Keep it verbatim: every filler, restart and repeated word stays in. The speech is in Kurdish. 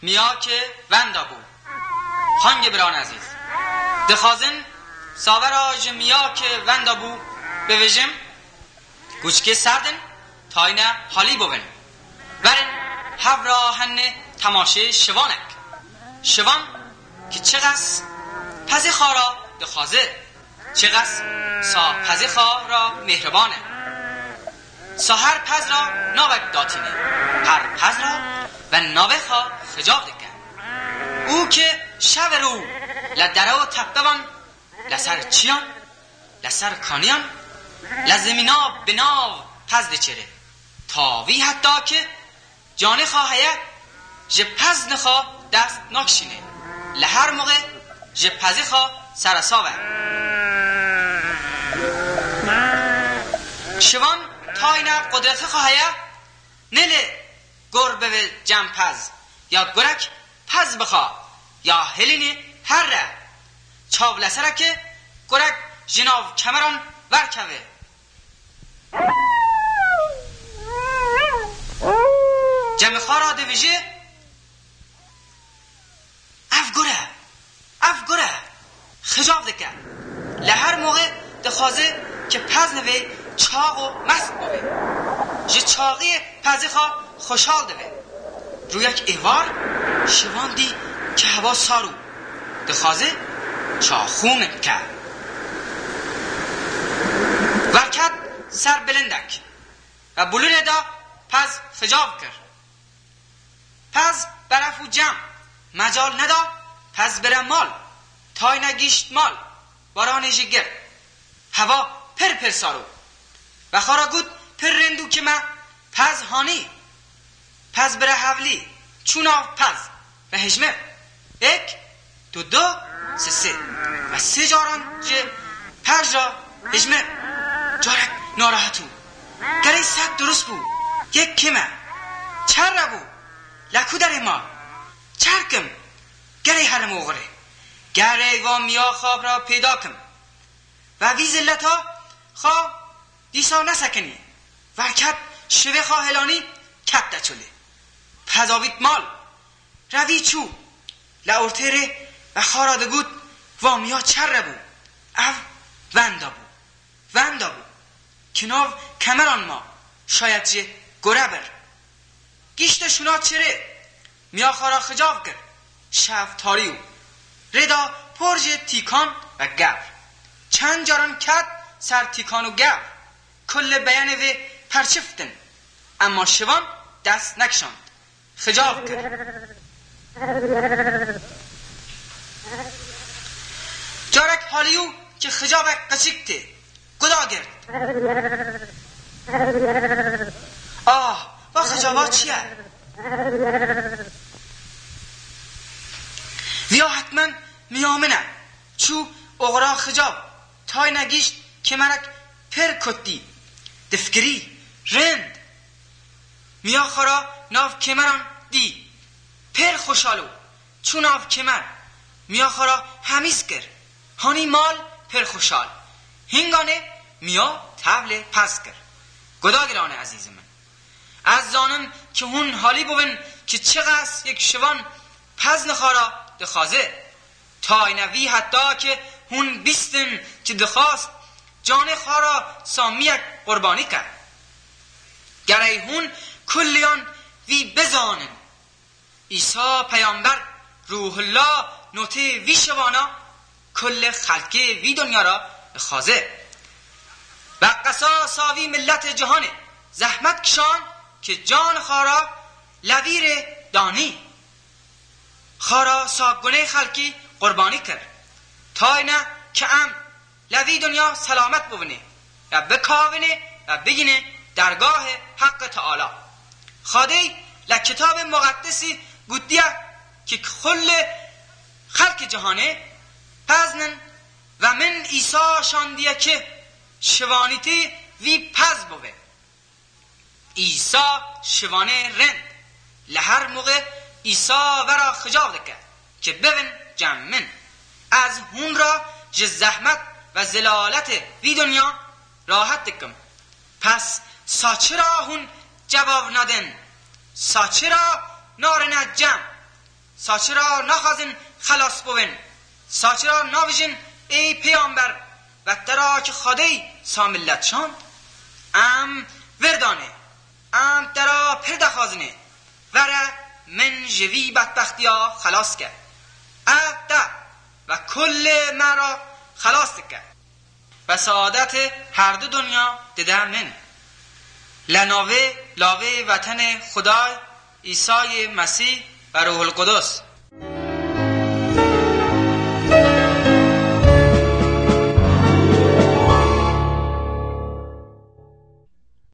Miyakê wenda bû. Hangî biran ezîz? Dixwazin savera ji miyakê wenda bû bivêjim, Guçkê serdin, tayne halî bûvin. Werin hev ra hennê temaşê şivanek. Şivan ki çiqas pezê xwe ra dixwaze, çiqas sa pezê xwe ra mêhriban e. Sa her pez ra navek datîne, her pez ra ve navê xwe xicav dike. Û ki şev û rû le dere û tepevan, le ser çiyan, le ser kaniyan, le zemîna bi nav pez diçêre. Ta vî heta ki canê xwe heye, ji pez nixwe dest nakişîne. Li her moxê ji pezê xwe seresav e. Şivan tayne qudretê xwe heye, nêlê gor bibe cem pez, ya gurek pez bixa, ya hilînî herre. Çav li ser e ki gurek ji nav kemeran verkeve. Cemê xwe ra dibêje, "Ev gur e, ev gur e." Xicav dike. Li her moxê dixwaze ki pez nivê çax û mest bibê. Ji çaxiyê pezê xwe xweşal dibe. Rûyek êvar Şivan dî ki hewa sar û dixwaze çaxû min bike. Verket ser bilindek ve bulûnê de pez xicav kir. Pez beref û cem mecal neda pez bire mal. Tayne gîşt mal, baranê jî girt. Hewa pir pir sar û. Ve xwe ra got, "Pir rind û kime pez hanî." Pez bire hevlî, çû nav pez ve hejmir. Êk, du, du, sê, sê. Ve sê caran ji pez ra hejmir. Carek narehet û. Gerê sed durust bû. Yek kime. Çerre bû. Le ku derê ma? Çerkim. Gerê herim oxirê. Gerê va miya xwe ra pêda kim. Ve vî zilleta xwe dîsa nesekinî. Verket şivê xwe helanî, ket de çolê. Pez avît mal. Revî çû. Le ortê rê ve xwe ra digot, "Va miya çerre bû. Ev wenda bû. Wenda bû. Ki nav kemeran ma, şayet jê gore bir." Gişte şûna çirê, miya xwe ra xicav kir. Şev tarî û. Rê da por ji tîkan ve gevr. Çend caran ket ser tîkan û gevr. Kullê beyenê vê perçiftin. Ema Şivan dest nekişand. Xicav kir. Carek halî û ki xicavek qiçik tê. Guda girt. Ah, va xicava çi ye? Viya hetmen miya min e. Çû oxira xicav. Tayne gîşt kemerek pir kurt dî. Difikirî, rind. Miya xwe ra nav kemeran dî. Pir xweşal û. Çû nav kemer, miya xwe ra hemîs kir. Hanî mal pir xweşal. Hinganê miya tevlê pez kir. Guda giranê ezîzê min. Ez zanim ki hûn halî bûvin ki çiqas yek Şivan pez nixwe ra dixwaze. Tayne vî heta ki hûn bîstin ki dixwast canê xwe ra samiyek qurbanî ke. Gerey hûn kulliyan vî bizanin. Îsa peyamber Ruhullah notê vî şivana kullê xelkê vî dinya ra dixwaze. Ve qesasa vî milletê cihanê zehmet kişan ki can xwe ra levîrê danî. Xwe ra sa gunê xelkî qurbanî kir. Tayne ki em le vî dinya selamet bûvinê, ya bikavinê, ya bigînê dergahê Heqê Teala. Xwedê le Kitabê Muqeddesî gotiye ki kulê xelkê cihanê peznin ve min Îsa şandiye ki şivanîtî vî pez bûve. Îsa şivanê rind. Li her muxê Îsa vera xicav dike ki bivin cem min. Ez hûn ra ji zehmet ve zilaletê vî dinya rahet dikim. Pes sa çira hûn cevab nadin? Sa çira narine cem? Sa çira naxwazin xelas bibin? Sa çira navijin ey pêyamber, ve te ra ki Xwedê sa millet şand? Em vir danê, em te ra pir dexwazinê, vere min ji vî bedbextiya xelas ke. Ev te ve kulê me ra xelas dike. Ve saadetê herdu dinya dide min. Le navê lavê ve tenê Xuday, Îsayê Mesîh ve Ruhul Qudus.